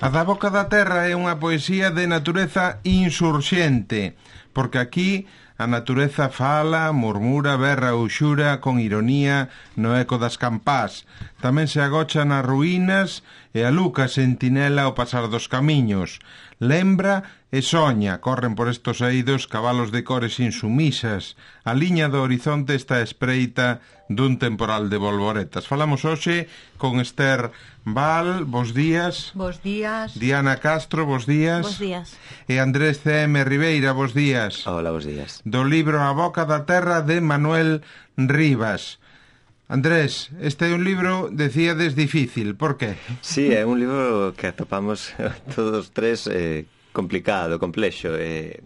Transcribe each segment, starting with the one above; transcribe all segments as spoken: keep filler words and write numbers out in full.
A da boca da terra é unha poesía de natureza insurxente, porque aquí a natureza fala, murmura, berra ou xura con ironía no eco das campás. Tamén se agocha nas ruínas e a luca sentinela ao pasar dos camiños. Lembra e soña, corren por estos eidos cabalos de cores insumisas. A liña do horizonte está espreita dun temporal de bolboretas. Falamos hoxe con Esther Val, bos días. Bos días. Diana Castro, bos días. Bos días. E Andrés C M Ribeira, bos días. Hola, bos días. Do libro A boca da terra de Manuel Rivas. Andrés, este é un libro, decíades, difícil, por qué? Sí, é un libro que atopamos todos tres eh, complicado, complexo. Eh,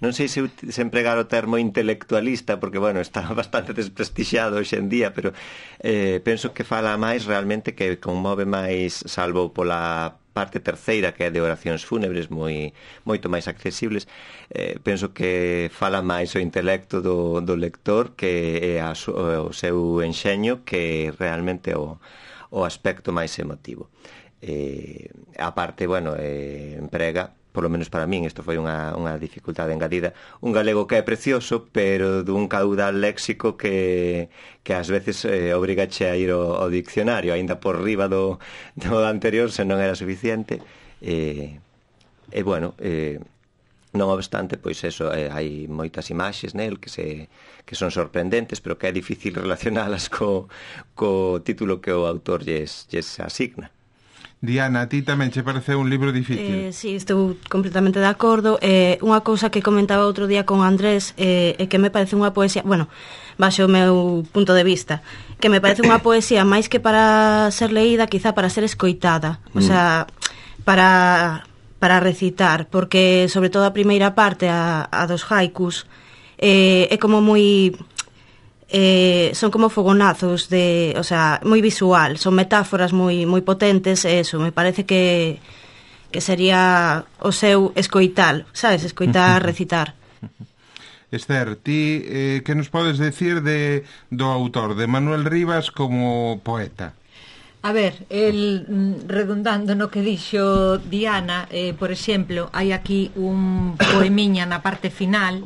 non sei se, se empregar o termo intelectualista, porque, bueno, está bastante desprestixiado hoxe en día, pero eh, penso que fala máis realmente, que conmove máis, salvo pola parte terceira, que é de oracións fúnebres, moi moito máis accesibles. Eh, penso que fala máis o intelecto do, do lector que é a, o seu enxeño, que realmente o, o aspecto máis emotivo. Eh, a parte, bueno, eh, emprega, polo menos para min, isto foi unha, unha dificultade engadida, un galego que é precioso, pero dun caudal léxico que, que ás veces eh, obrigache a ir ao, ao diccionario, aínda por riba do, do anterior, se non era suficiente. E, e bueno, eh, non obstante, pois eso, eh, hai moitas imaxes nel que se que son sorprendentes, pero que é difícil relacionalas co, co título que o autor lles, lles asigna. Diana, a ti tamén che parece un libro difícil? Eh, sí, estou completamente de acordo. Eh, unha cousa que comentaba outro día con Andrés é eh, que me parece unha poesía, bueno, baixo o meu punto de vista, que me parece unha poesía máis que para ser leída, quizá para ser escoitada, o sea, para, para recitar, porque sobre todo a primeira parte, a, a dos haikus, eh, é como moi... Eh, son como fogonazos de, o sea, moi visual, son metáforas moi moi potentes, e eso, me parece que que sería o seu escoitar, sabes, escoitar, recitar. Esther, ti eh, que nos podes decir de do autor, de Manuel Rivas como poeta? A ver, el redundando no que dixo Diana, eh, por exemplo, hai aquí un poemiña na parte final.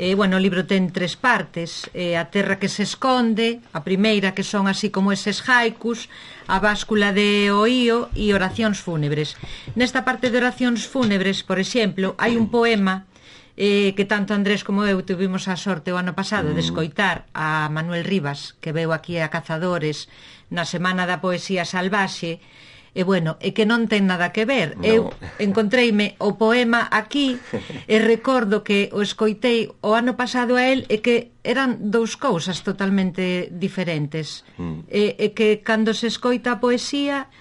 Eh, bueno, o libro ten tres partes, eh, A terra que se esconde, a primeira, que son así como eses haikus, A báscula de Oío e Oracións fúnebres. Nesta parte de Oracións fúnebres, por exemplo, hai un poema eh, que tanto Andrés como eu tuvimos a sorte o ano pasado de escoitar a Manuel Rivas, que veu aquí a Cazadores na Semana da Poesía Salvaxe. E bueno, é que non ten nada que ver. No. Eu encontreime o poema aquí e recordo que o escoitei o ano pasado a él e que eran dous cousas totalmente diferentes. Mm. E, e que cando se escoita a poesía,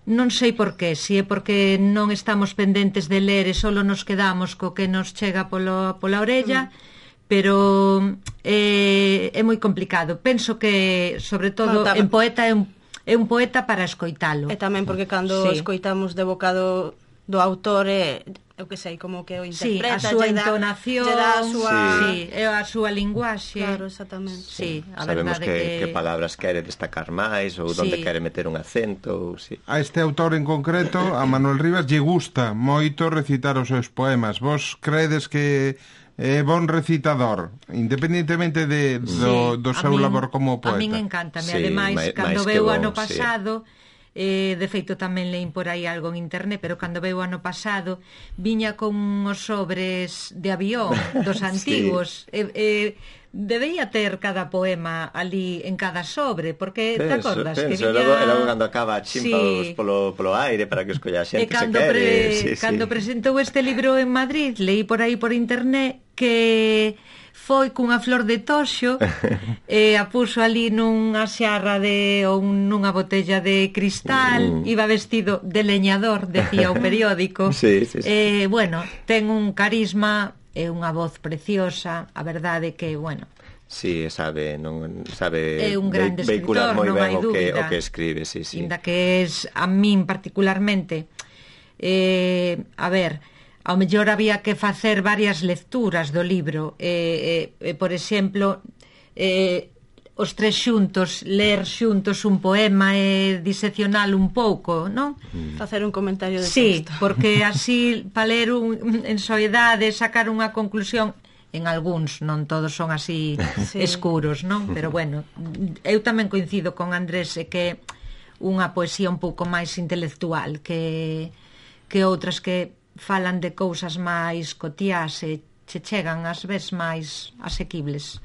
non sei por qué, si é porque non estamos pendentes de ler e solo nos quedamos co que nos chega polo, pola orella, mm. pero eh, é moi complicado. Penso que, sobre todo, no, en poeta é un é un poeta para escoitalo. E tamén porque cando sí. escoitamos de boca do, do autor, é, eu que sei, como que o interpreta, sí, a súa entonación, lle dá a súa... Sí, é a súa linguaxe. Claro, exactamente. Sí, a sabemos verdade que, que... que palabras quere destacar máis, ou sí. onde quere meter un acento, ou sí. A este autor en concreto, a Manuel Rivas, lle gusta moito recitar os seus poemas. Vos credes que é bon recitador, independentemente de, do, sí, do seu min, labor como poeta? A min encántame, sí, ademais, máis, cando máis veu bon, ano pasado... Sí. Eh, de feito tamén leín por aí algo en internet, pero cando veu ano pasado viña con os sobres de avión dos antigos. Sí. eh, eh, debía ter cada poema ali en cada sobre, porque te acordas penso, que viña... logo, logo cando acaba chimpa sí. polo, polo aire para que escolla a xente e cando se quere. Pre... Sí, cando sí. presentou este libro en Madrid, leí por aí por internet que foi cunha flor de toxo e a puso ali nunha xarra de ou nunha botella de cristal, mm. iba vestido de leñador, decía o periódico. Sí, sí, sí. Eh, bueno, ten un carisma e unha voz preciosa, a verdade que, bueno, sí, sabe, non sabe é un grande ve, escritor, moi non ben hai o que, dúbida. o que escribe, sí, sí. Inda que es a min particularmente, eh, a ver, ao mellor había que facer varias lecturas do libro, eh, eh, por exemplo, eh, os tres xuntos, ler xuntos un poema e diseccionalo un pouco, non? Mm. Facer un comentario de sí, texto. porque así, para ler un, en soidade, sacar unha conclusión, en algúns, non todos son así sí. escuros, non? Pero bueno, eu tamén coincido con Andrés e que unha poesía un pouco máis intelectual que, que outras que falan de cousas máis cotiás e che chegan ás veces máis asequibles.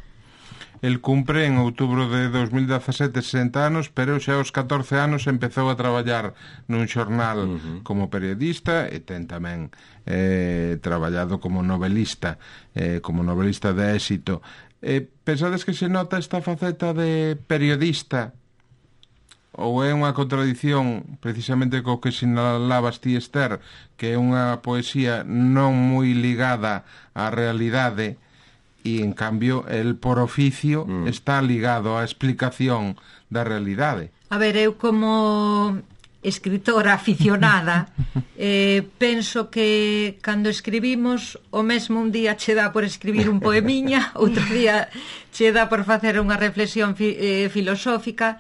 El cumpre en outubro de dos mil dezasete sesenta anos, pero xa aos catorce anos empezou a traballar nun xornal uh-huh. como periodista e ten tamén eh, traballado como novelista, eh, como novelista de éxito. Eh, pensades que se nota esta faceta de periodista ou é unha contradición precisamente co que sinalabas ti, Esther, que é unha poesía non moi ligada á realidade e, en cambio, el por oficio mm. está ligado á explicación da realidade? A ver, eu como escritora aficionada eh, penso que cando escribimos o mesmo un día che dá por escribir un poemiña, outro día che dá por facer unha reflexión fi, eh, filosófica.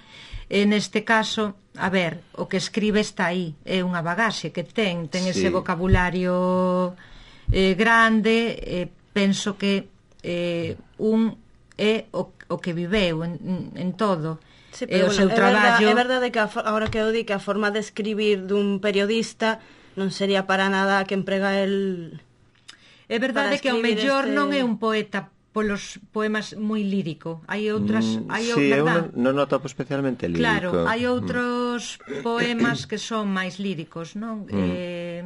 En este caso, a ver, o que escribe está aí, é unha bagaxe que ten, ten sí. ese vocabulario eh, grande, eh, penso que eh, un é o, o que viveu en, en todo. Sí, pero, e o seu bueno, traballo... É verdade que a, agora que eu di que a forma de escribir dun periodista non sería para nada que emprega el... É verdade que ao mellor este... non é un poeta polos poemas moi lírico. Hai outras, mm, hai sí, eu non, non noto especialmente lírico. Claro, hai outros mm. poemas que son máis líricos, non? Mm. Eh,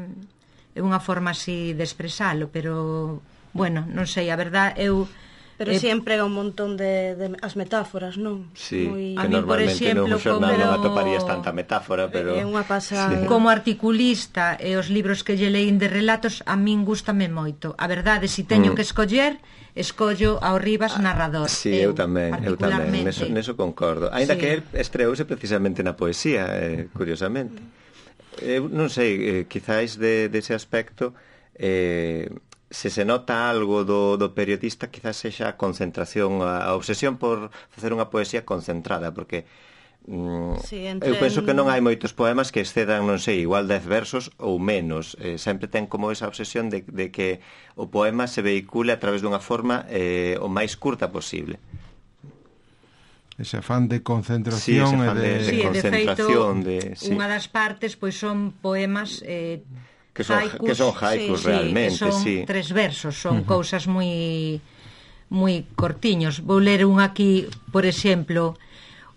é unha forma así de expresalo, pero bueno, non sei, a verdad eu Pero eh, si emprega un montón de, de as metáforas, non? Sí, Muy... que a mí, por exemplo, no xornal como... non atoparías tanta metáfora, pero... É unha pasada. Sí. Como articulista e os libros que lle leín de relatos, a min gústame moito. A verdade, se si teño mm. que escoller, escollo ao Rivas narrador. Sí, eu, eu tamén, eu tamén, neso, neso concordo. Ainda sí. que el estreouse precisamente na poesía, eh, curiosamente. Eu non sei, eh, quizáis de, dese aspecto... Eh, se se nota algo do, do periodista, quizás sexa a concentración, a, a obsesión por facer unha poesía concentrada, porque mm, sí, eu penso que non hai moitos poemas que excedan, non sei, igual dez versos ou menos. Eh, sempre ten como esa obsesión de, de que o poema se vehicule a través dunha forma eh, o máis curta posible. Ese afán de concentración sí, ese afán e de, de, de sí, concentración de feito, de, sí. unha das partes pois son poemas eh, que son haikus, que son haikus sí, realmente, sí, son sí. tres versos, son uh-huh. cousas moi moi cortiños. Vou ler un aquí, por exemplo: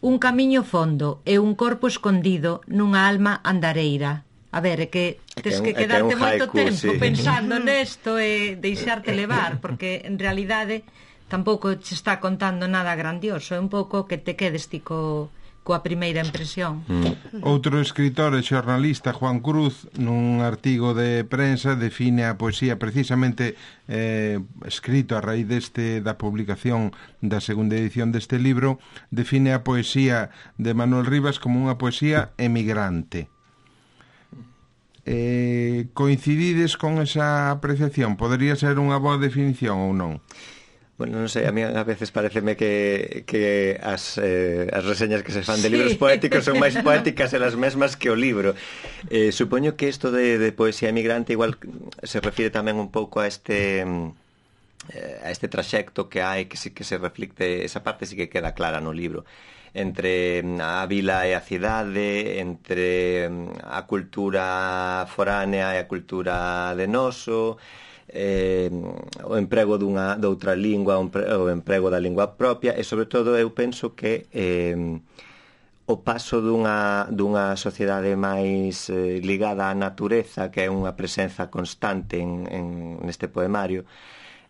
un camiño fondo e un corpo escondido nunha alma andareira. A ver, é que tes que, que quedarte que moito haiku, tempo sí. pensando nesto e deixarte levar, porque en realidade tampouco te está contando nada grandioso, é un pouco que te quedes ti co coa primeira impresión. Mm. Outro escritor e xornalista, Juan Cruz, nun artigo de prensa define a poesía precisamente eh, escrito a raíz deste da publicación da segunda edición deste libro, define a poesía de Manuel Rivas como unha poesía emigrante. Eh, coincidides con esa apreciación? Podería ser unha boa definición ou non? Bueno, non sei, a mí a veces pareceme que, que as, eh, as reseñas que se fan de libros sí. poéticos son máis poéticas elas mesmas que o libro. Eh, supoño que isto de, de poesía emigrante igual se refire tamén un pouco a este eh, a este traxecto que hai, que sí que se reflicte, esa parte sí que queda clara no libro, entre a vila e a cidade, entre a cultura foránea e a cultura de noso, eh, o emprego dunha, doutra lingua, o emprego da lingua propia, e sobre todo eu penso que eh, o paso dunha, dunha sociedade máis eh, ligada á natureza, que é unha presenza constante en, en, neste poemario,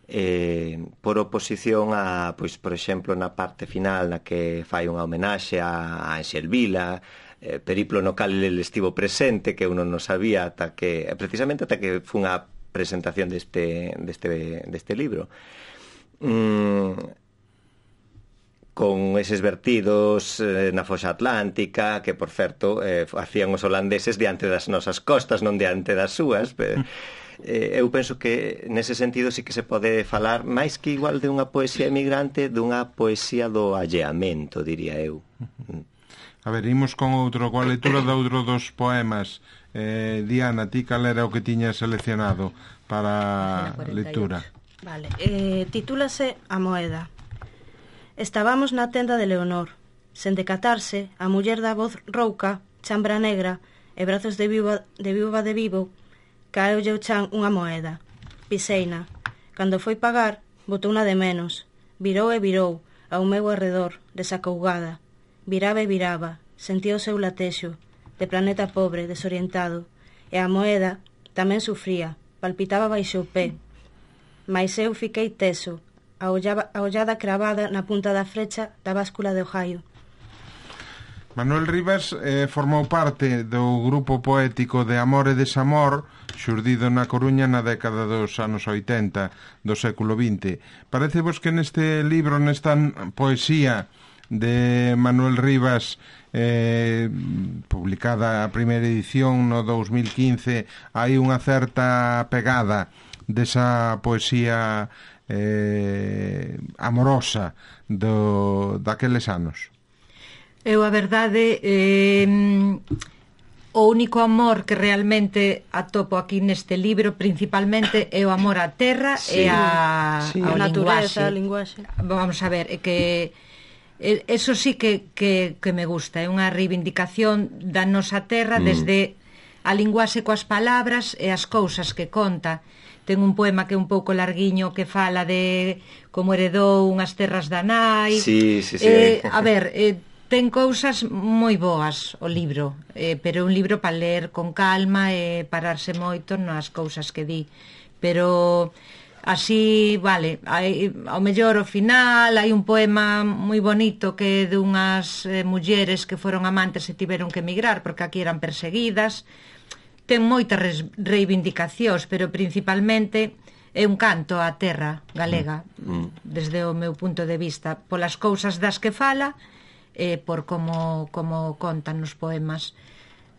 eh, por oposición a, pois, por exemplo, na parte final na que fai unha homenaxe a, a Anxel Vila, eh, periplo no cal el estivo presente, que uno non sabía ata que, precisamente ata que fun a presentación deste, deste, deste libro. Mm, con eses vertidos eh, na foxa atlántica, que, por certo, eh, hacían os holandeses diante das nosas costas, non diante das súas. Pero, eh, eu penso que, nese sentido, sí que se pode falar máis que igual de unha poesía emigrante, dunha poesía do alleamento, diría eu. A ver, imos con outro, coa lectura de outro dos poemas. Eh, Diana, ti cal era o que tiñas seleccionado para lectura? Vale, eh, titúlase A moeda. Estábamos na tenda de Leonor. Sen decatarse, a muller da voz rouca, chambra negra e brazos de viúva de, viúva de vivo, caeulle o chan unha moeda. Piseina. Cando foi pagar, botouna de menos. Virou e virou, ao meu arredor, desacougada. Viraba e viraba, sentía o seu latexo, de planeta pobre, desorientado, e a moeda tamén sufría, palpitaba baixo o pé. Mais eu fiquei teso, a, ollaba, a ollada cravada na punta da frecha da báscula de Ohio. Manuel Rivas eh, formou parte do grupo poético de Amor e Desamor, xurdido na Coruña na década dos anos oitenta do século vinte. Parece vos que neste libro, nesta poesía de Manuel Rivas, eh, publicada a primeira edición no dos mil quince, hai unha certa pegada desa poesía eh, amorosa do, daqueles anos? Eu, a verdade, eh, o único amor que realmente atopo aquí neste libro principalmente é o amor á terra sí, e a, sí. ao a natureza, linguaxe. Vamos a ver, é que eso sí que, que, que me gusta, é unha reivindicación da nosa terra mm. desde a linguaxe coas palabras e as cousas que conta. Ten un poema que é un pouco larguiño que fala de como heredou unhas terras da nai. Sí, sí, sí. Eh, a ver, eh, ten cousas moi boas o libro, eh, pero é un libro para ler con calma e pararse moito nas cousas que di. Pero así, vale, hai, ao mellor ao final hai un poema moi bonito que é de unhas eh, mulleres que foron amantes e tiveron que emigrar porque aquí eran perseguidas. Ten moitas reivindicacións, pero principalmente é un canto á terra galega, mm. desde o meu punto de vista, polas cousas das que fala e por como, como contan nos poemas.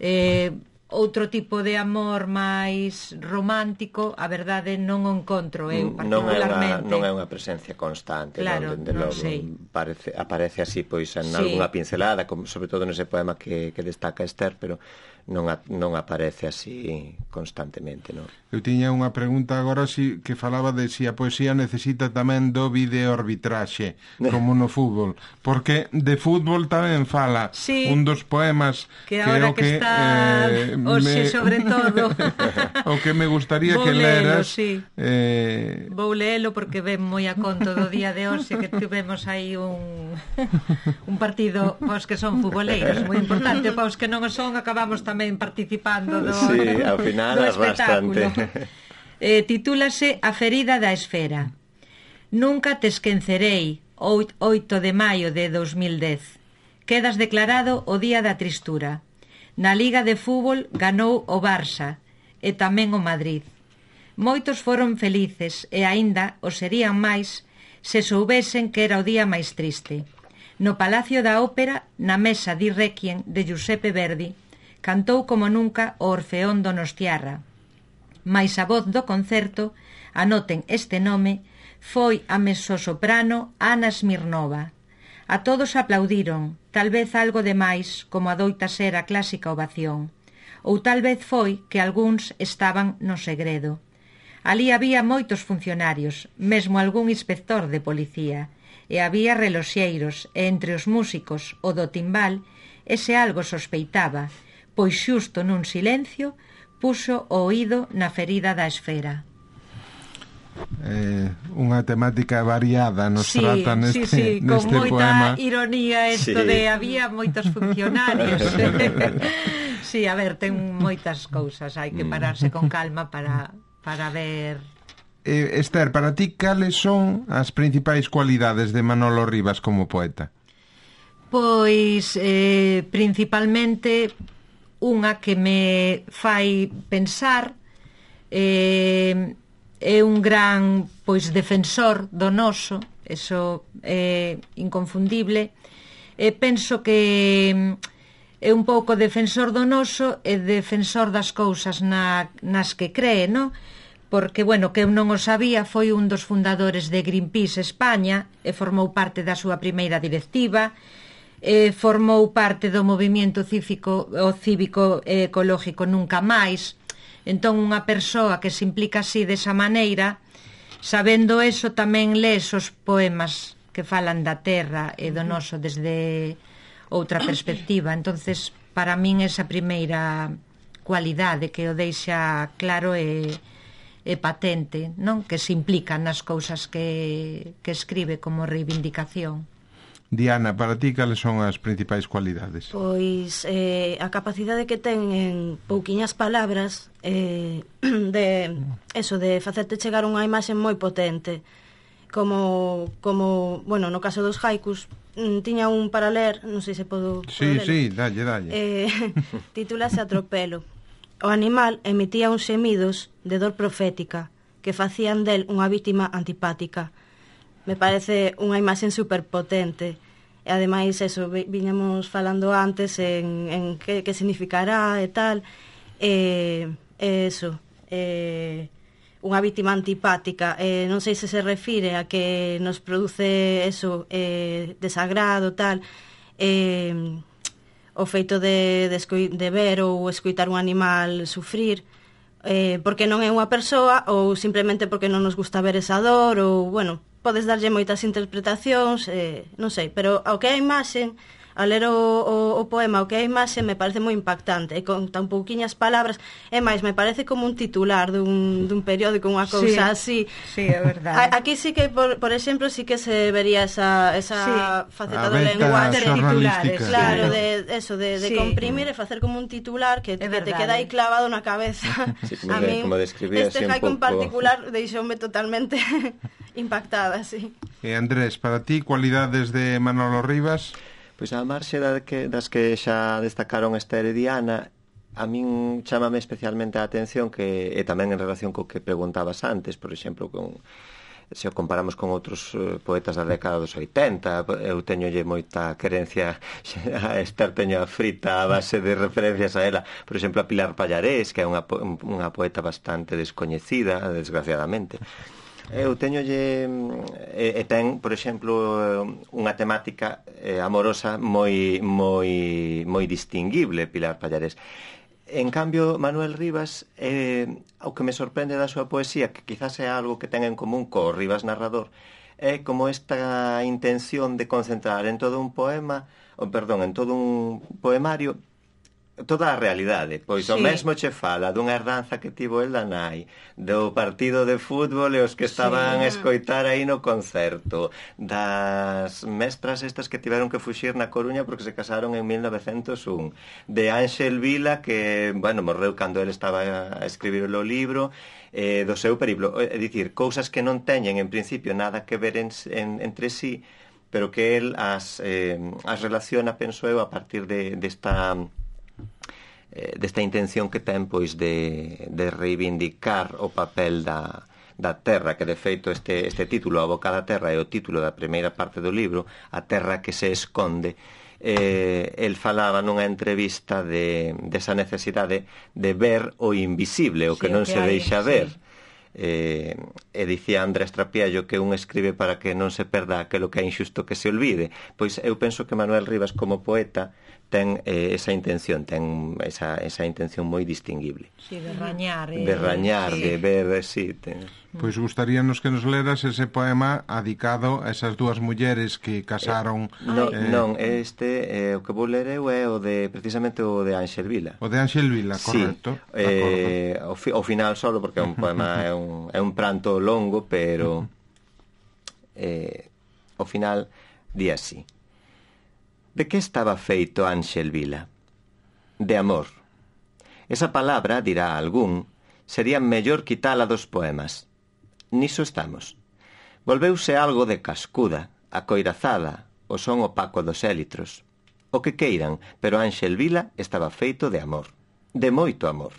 Eh, outro tipo de amor máis romántico, a verdade non o encontro eu particularmente. Non é unha, non é unha presencia constante, claro, non, dende non logo, sei. Parece, aparece así pois en sí. algunha pincelada, como, sobre todo nese poema que, que destaca Esther, pero non, a, non aparece así constantemente, non? Eu tiña unha pregunta agora si, que falaba de si a poesía necesita tamén do videoarbitraxe, como no fútbol, porque de fútbol tamén fala sí, un dos poemas que agora que, que está eh, hoxe me... sobre todo o que me gustaría vou que leras sí. eh... vou lelo porque ven moi a conto do día de hoxe que tivemos aí un un partido paos que son futboleiros moi importante, paos que non o son acabamos tamén participando do, sí, ao final do é espectáculo. Eh, titúlase A ferida da esfera. Nunca te esquecerei, oito de maio de dos mil dez. Quedas declarado o día da tristura. Na Liga de Fútbol ganou o Barça e tamén o Madrid. Moitos foron felices e aínda o serían máis se soubesen que era o día máis triste. No Palacio da Ópera, na mesa di Requiem de Giuseppe Verdi, cantou como nunca o Orfeón Donostiarra. Mais a voz do concerto, anoten este nome, foi a mezzosoprano Ana Smirnova. A todos aplaudiron, tal vez algo de máis, como adoita ser a clásica ovación. Ou tal vez foi que algúns estaban no segredo. Alí había moitos funcionarios, mesmo algún inspector de policía, e había reloxeiros, e entre os músicos o do timbal, ese algo sospeitaba, pois xusto nun silencio puxo o oído na ferida da esfera. Eh, unha temática variada nos sí, trata neste, sí, sí, neste con moita poema. Ironía isto sí. de había moitos funcionarios. Sí, a ver, ten moitas cousas, hai que pararse con calma para, para ver. eh, Esther, para ti cales son as principais cualidades de Manolo Rivas como poeta? Pois eh, principalmente unha que me fai pensar, eh, é un gran pois defensor do noso, eso é inconfundible. E penso que é un pouco defensor do noso e defensor das cousas na, nas que cree, non? Porque, bueno, que eu non o sabía, foi un dos fundadores de Greenpeace España e formou parte da súa primeira directiva, e formou parte do movimento cívico, o cívico e ecológico Nunca Máis. Entón, unha persoa que se implica así desa maneira, sabendo eso, tamén lees os poemas que falan da terra e do noso desde outra perspectiva. Entonces, para min esa primeira cualidade que o deixa claro e, e patente, non? Que se implica nas cousas que, que escribe como reivindicación. Diana, para ti, cales son as principais cualidades? Pois eh, a capacidade que ten en pouquiñas palabras eh, de eso, de facerte chegar unha imaxe moi potente, como, como bueno, no caso dos haikus, tiña un para ler, non sei se podo, Sí, podo sí, dalle, dalle. eh, titúlase Atropelo. O animal emitía uns semidos de dor profética que facían del unha vítima antipática. Me parece unha imaxe superpotente. E ademais, eso, viñamos falando antes en, en que, que significará e tal. E, e eso, e, unha vítima antipática. E, non sei se se refire a que nos produce eso, e, desagrado, tal. E, o feito de, de, escoi, de ver ou escoitar un animal sufrir, eh, porque non é unha persoa ou simplemente porque non nos gusta ver esa dor, ou, bueno, podes darlle moitas interpretacións, eh, non sei, pero ao que é a imaxe, a ler o, o, o poema, o que é a imaxe me parece moi impactante, e con tan pouquiñas palabras, e máis, me parece como un titular dun, dun periódico, unha cousa sí, así. Sí, é verdade. Aquí sí que, por, por exemplo, sí que se vería esa, esa sí. faceta A do lenguaje. xornalística. Claro, sí. de eso, de, de sí. comprimir e facer como un titular que, que te verdade. queda aí clavado na cabeza. Sí, como, A de, min, como describía este así un haiku en pouco... particular deixoume totalmente impactada, sí. E Andrés, para ti, cualidades de Manolo Rivas? Pois a marxe da que, das que xa destacaron Esther e Diana, a min chámame especialmente a atención que, e tamén en relación co que preguntabas antes, por exemplo, con, se o comparamos con outros uh, poetas da década dos oitenta, eu teñolle moita querencia, a Esther teño a frita a base de referencias a ela, por exemplo, a Pilar Pallarés, que é unha, unha poeta bastante descoñecida, desgraciadamente. Eu teñolle e, e ten, por exemplo, unha temática eh, amorosa moi moi moi distinguible, Pilar Pallarés. En cambio, Manuel Rivas, eh, o que me sorprende da súa poesía, que quizás é algo que ten en común co Rivas narrador, é como esta intención de concentrar en todo un poema, ou perdón, en todo un poemario toda a realidade, pois sí. O mesmo che fala dunha herdanza que tivo el da nai, do partido de fútbol e os que estaban sí. a escoitar aí no concerto, das mestras estas que tiveron que fuxir na Coruña porque se casaron en mil novecentos un, de Ángel Vila que, bueno, morreu cando el estaba a escribir o libro, eh, do seu periplo, é dicir, cousas que non teñen en principio nada que ver en, en, entre sí, pero que el as, eh, as relaciona, penso eu, a partir de desta desta intención que ten pois de, de reivindicar o papel da, da terra, que de feito este, este título, A boca da terra, é o título da primeira parte do libro, A terra que se esconde. Eh, el falaba nunha entrevista de desa necesidade de ver o invisible, o que sí, non que se hai, deixa sí. ver. Eh, e dicía Andrés Trapiello que un escribe para que non se perda aquilo que é injusto que se olvide. Pois eu penso que Manuel Rivas como poeta ten eh, esa intención, ten esa, esa intención moi distinguible. Sí, de rañar. Eh, de rañar, sí. de ver, sí. Ten... Pois gustaríanos que nos leras ese poema adicado a esas dúas mulleres que casaron... Eh, no, eh, non, este, eh, o que vou ler eu é o de, precisamente o de Ángel Vila. O de Ángel Vila, correcto. Sí, eh, o, fi, o final solo, porque é un poema, é un, é un pranto longo, pero eh, o final di así. De que estaba feito Ángel Vila? De amor. Esa palabra, dirá algún, sería mellor quitala dos poemas. Niso estamos. Volveuse algo de cascuda, acoirazada, o son opaco dos élitros. O que queiran, pero Ángel Vila estaba feito de amor. De moito amor.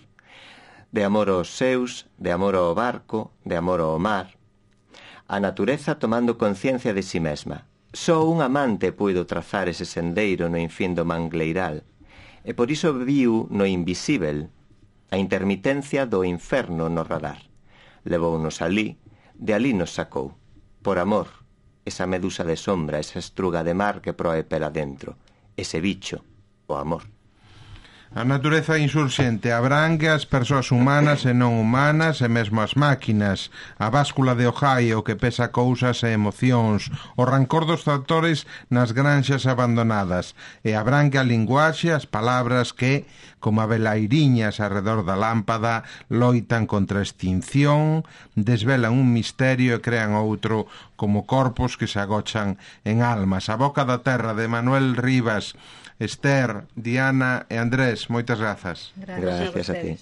De amor aos seus, de amor ao barco, de amor ao mar. A natureza tomando conciencia de si mesma. Só un amante puido trazar ese sendeiro no infín do mangleiral, e por iso viu no invisível a intermitencia do inferno no radar. Levounos alí, de alí nos sacou. Por amor, esa medusa de sombra, esa estruga de mar que proe pela dentro, ese bicho, o amor. A natureza insurxente abrangue as persoas humanas e non humanas e mesmo as máquinas, a báscula de Ohio que pesa cousas e emocións, o rancor dos tractores nas granxas abandonadas, e abrangue a linguaxe, as palabras que, como a velairiñas arredor da lámpada, loitan contra a extinción, desvelan un misterio e crean outro, como corpos que se agochan en almas. A boca da terra, de Manuel Rivas. Esther, Diana e Andrés, moitas grazas. Gracias, Gracias a ti.